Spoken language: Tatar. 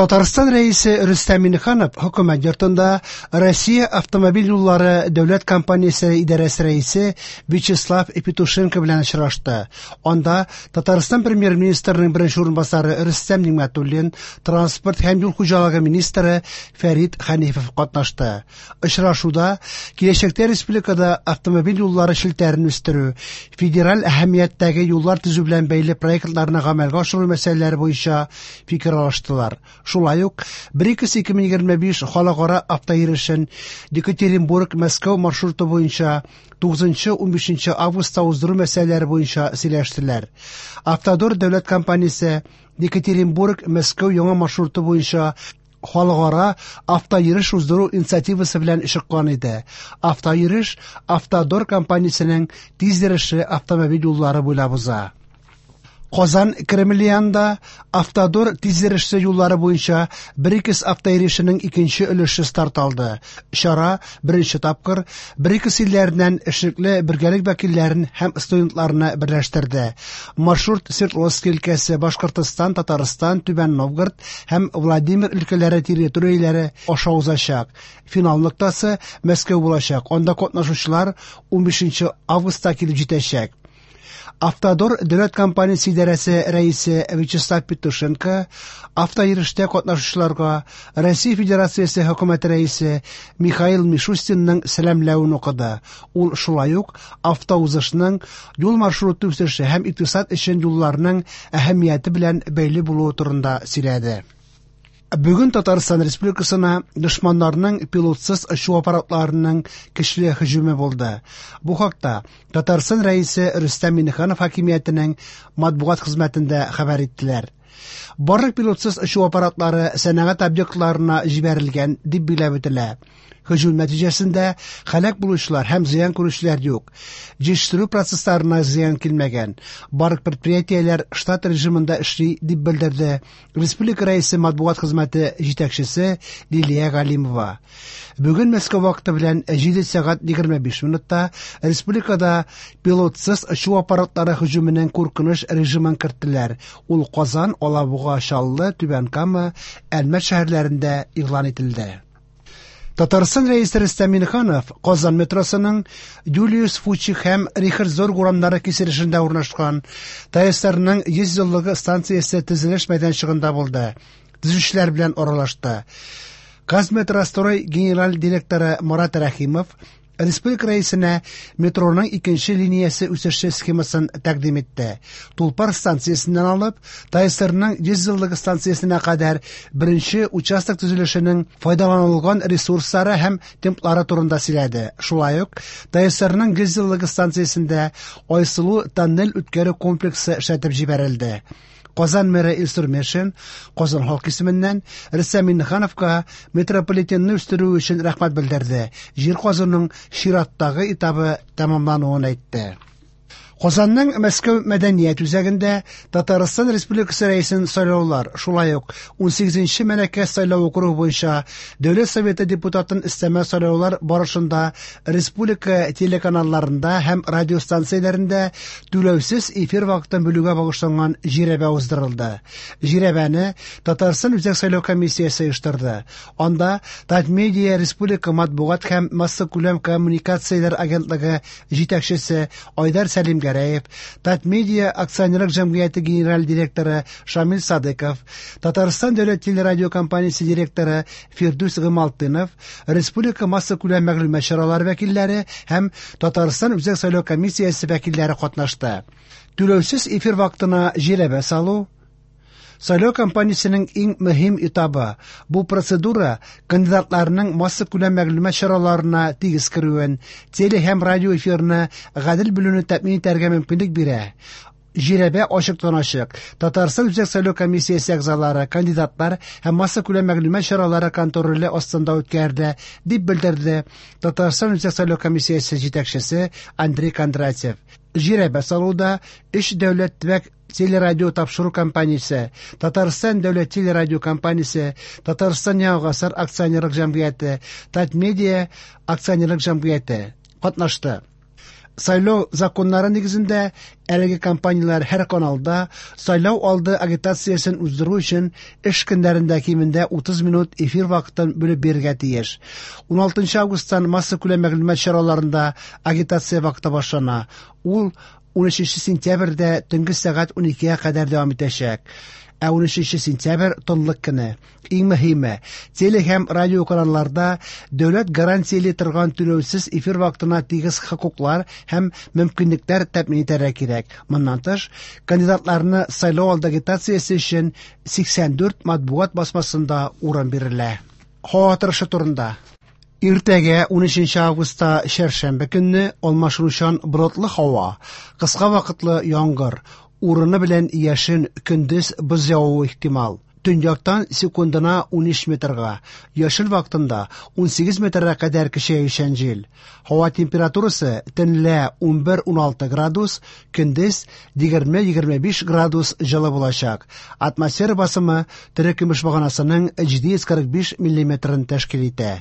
Татарстан Рәисе Рөстәм Миңнеханов Хөкүмәт йортында Россия автомобиль юллары дәүләт компаниясе идарәсе рәисе Вячеслав Петушенко белән очрашты. Анда Татарстан Премьер-министрының беренче урынбасары Рөстәм Нигъмәтуллин, транспорт һәм юл хуҗалыгы министры Фәрит Хәнифов катнашты. Очрашуда киләчәктә республикада автомобиль юллары челтәрен үстерү, федераль әһәмияттәге юллар төзү белән бәйле проектларны гамәлгә ашыру мәсьәләләре буенча фикер алыштылар. Шулай ук БРИКС 2025 халыкара автойөрешен Екатеринбург-Мәскәү маршруты буенча 9-15 августта уздыру мәсьәләләре буенча сөйләштеләр. Автодор дәүләт компаниясе Екатеринбург-Мәскәү яңа маршруты буенча халыкара автойөреш уздыру инициативасы белән чыккан иде. Автойөреш Автодор компаниясенең тиз йөрешле автомобиль юллары буйлап уза. Казан Кремле янында Автодор тизйөрешле юллары буенча БРИКС автойөрешенең икенче өлеше старт алды. Чара беренче тапкыр БРИКС илләреннән эшлекле бергәлек вәкилләрен һәм студентларны берләштерде. Маршрут Свердловск өлкәсе, Башкортостан, Татарстан, Түбән Новгород һәм Владимир өлкәләре территорияләре аша узачак. Финал ноктасы Мәскәү булачак. Анда катнашучылар 15 августта килеп җитәчәк. Автодор дәүләт компаниясе идарәсе рәисе Вячеслав Петушенко автойөрештә катнашучыларга Россия Федерациясе хөкүмәте рәисе Михаил Мишустинның сәламләвен укыды. Ул шулай ук автоузышның юл маршруты үсеше һәм икътисад өчен юлларның әһәмияте белән бәйле булуы турында сөйләде. Бүген Татарстан Республикасына дошманнарның пилотсыз очу аппаратларының көчле һөҗүме булды. Бу хакта Татарстан Рәисе Рөстәм Миңнеханов хакимиятенең матбугат хезмәтендә хәбәр иттеләр. Барлык пилотсыз очу аппаратлары сәнәгать объектларына җибәрелгән, дип билгеләп үтелә. Һөҗүм нәтиҗәсендә һәлак булучылар һәм зыян күрүчеләр юк. Җитештерү процессларына зыян килмәгән. Барлык предприятиеләр штат режимында эшли, дип белдерде Республика Рәисе матбугат хезмәте җитәкчесе Лилия Галимова. Бүген Мәскәү вакыты белән 7 сәгать 25 минутта республикада пилотсыз очу аппаратлары һөҗүменең куркыныч режимын керттеләр. Ул Казан, Алабуга, Чаллы, Түбән Кама, Әлмәт шәһәрләрендә игълан ителде. Татарстан Рәисе Рөстәм Миңнеханов Казан метросының Юлиус Фучик һәм Рихард Зорг урамнары киселешендә урнашкан ТАССРның 100 еллыгы станциясе төзелеш мәйданчыгында булды. Төзүчеләр белән аралашты. Казметрострой генераль директоры Марат Рәхимов Республика Рәисенә метроның икенче линиясе үсеше схемасын тәкъдим итте. Тулпар станциясеннән алып, ТАССРның 100 еллыгы станциясенә кадәр беренче участок төзелешенең файдаланылган ресурслары һәм темплары турында сөйләде. Шулай ук ТАССРның 100 еллыгы станциясендә Айсылу тоннель үткәрү комплексы эшләтеп җибәрелде. Казан мэры Илсур Метшин Казан халкы исеменнән Рөстәм Миңнехановка метрополитенны үстерү өчен рәхмәт белдерде. Җир казуның чираттагы этабы тәмамлануын әйтте. Казанның Мәскәү мәдәният үзәгендә Татарстан Республикасы Рәисен сайлаулар, шулай ук 18нче Мәләкәс сайлау округы буенча Дәүләт Советы депутатын өстәмә сайлаулар барышында республика телеканалларында һәм радиостанцияләрендә түләүсез эфир вакытын бүлүгә багышланган жирәбә уздырылды. Жирәбәне Татарстан Үзәк сайлау комиссиясе оештырды. Анда Татмедиа республика матбугат һәм массакүләм коммуникацияләр агентлыгы җитәкчесе Айдар Сәлимгәрәев, Татмедиа акционерлык җәмгыяте генераль директоры Шамил Садыков, Татарстан дәүләт телерадиокомпаниясе директоры Фирдүс Гыймалтдинов, республика массакүләм мәгълүмат чаралары вәкилләре һәм Татарстан Үзәк сайлау комиссиясе вәкилләре катнашты. Түләүсез эфир вакытына жирәбә салу Сайлау кампаниясенең иң мөһим этабы. Бу процедура кандидатларның массакүләм мәгълүмат чараларына тигез керүен, теле һәм радио эфирны гадел бүлүне тәэмин итәргә мөмкинлек бирә. Жирәбә ачыктан-ачык Татарстан Үзәк сайлау комиссиясе әгъзалары, кандидатлар һәм массакүләм мәгълүмат чаралары контроле астында үткәрелә, дип белдерде Татарстан Үзәк сайлау комиссиясе җитәкчесе Андрей Кондратьев. Жирәбә салуда өч дәүләт төбәк телерадио тапшыру компаниясе, Татарстан дәүләт телерадио компаниясе, Татарстан Яңа гасыр акционерлык җәмгыяте, Татмедиа акционерлык җәмгыяте катнашты. Сайлау законнары нигезендә әлеге компанияләр һәр каналда сайлау алды агитациясен уздыру өчен эш көннәрендә кимендә 30 минут эфир вакытын бүлеп бирергә тиеш. 16 августтан массакүләм мәгълүмат чараларында агитация вакыты башлана. Ул 13 сентябрьдә төнге сәгать 12-гә кадәр дәвам итәчәк. Ә 13 сентябрь тынлык көне. Иң мөһиме, теле һәм радио каналларда дәүләт гарантияли торган түләүсез эфир вакытына тигез хокуклар һәм мөмкинлекләр тәэмин итәргә кирәк. Моннан тыш, кандидатларны сайлау алды агитациясе өчен 84 матбугат басмасында урын бирелә. Һава торышы турында. Иртәгә 13 августта чәршәмбе көнне алмашынучан болытлы һава, кыска вакытлы яңгыр, урыны белән яшен, көндез боз явуы ихтимал. Төньяктан секундына 13 метрга, яшел вакытында 18 метрга кадәр көчәючән җил. Һава температурасы төнлә 11-16 градус, көндез 20-25 градус җылы булачак. Атмосфера басымы терекөмеш баганасының 745 миллиметрын тәшкил итә.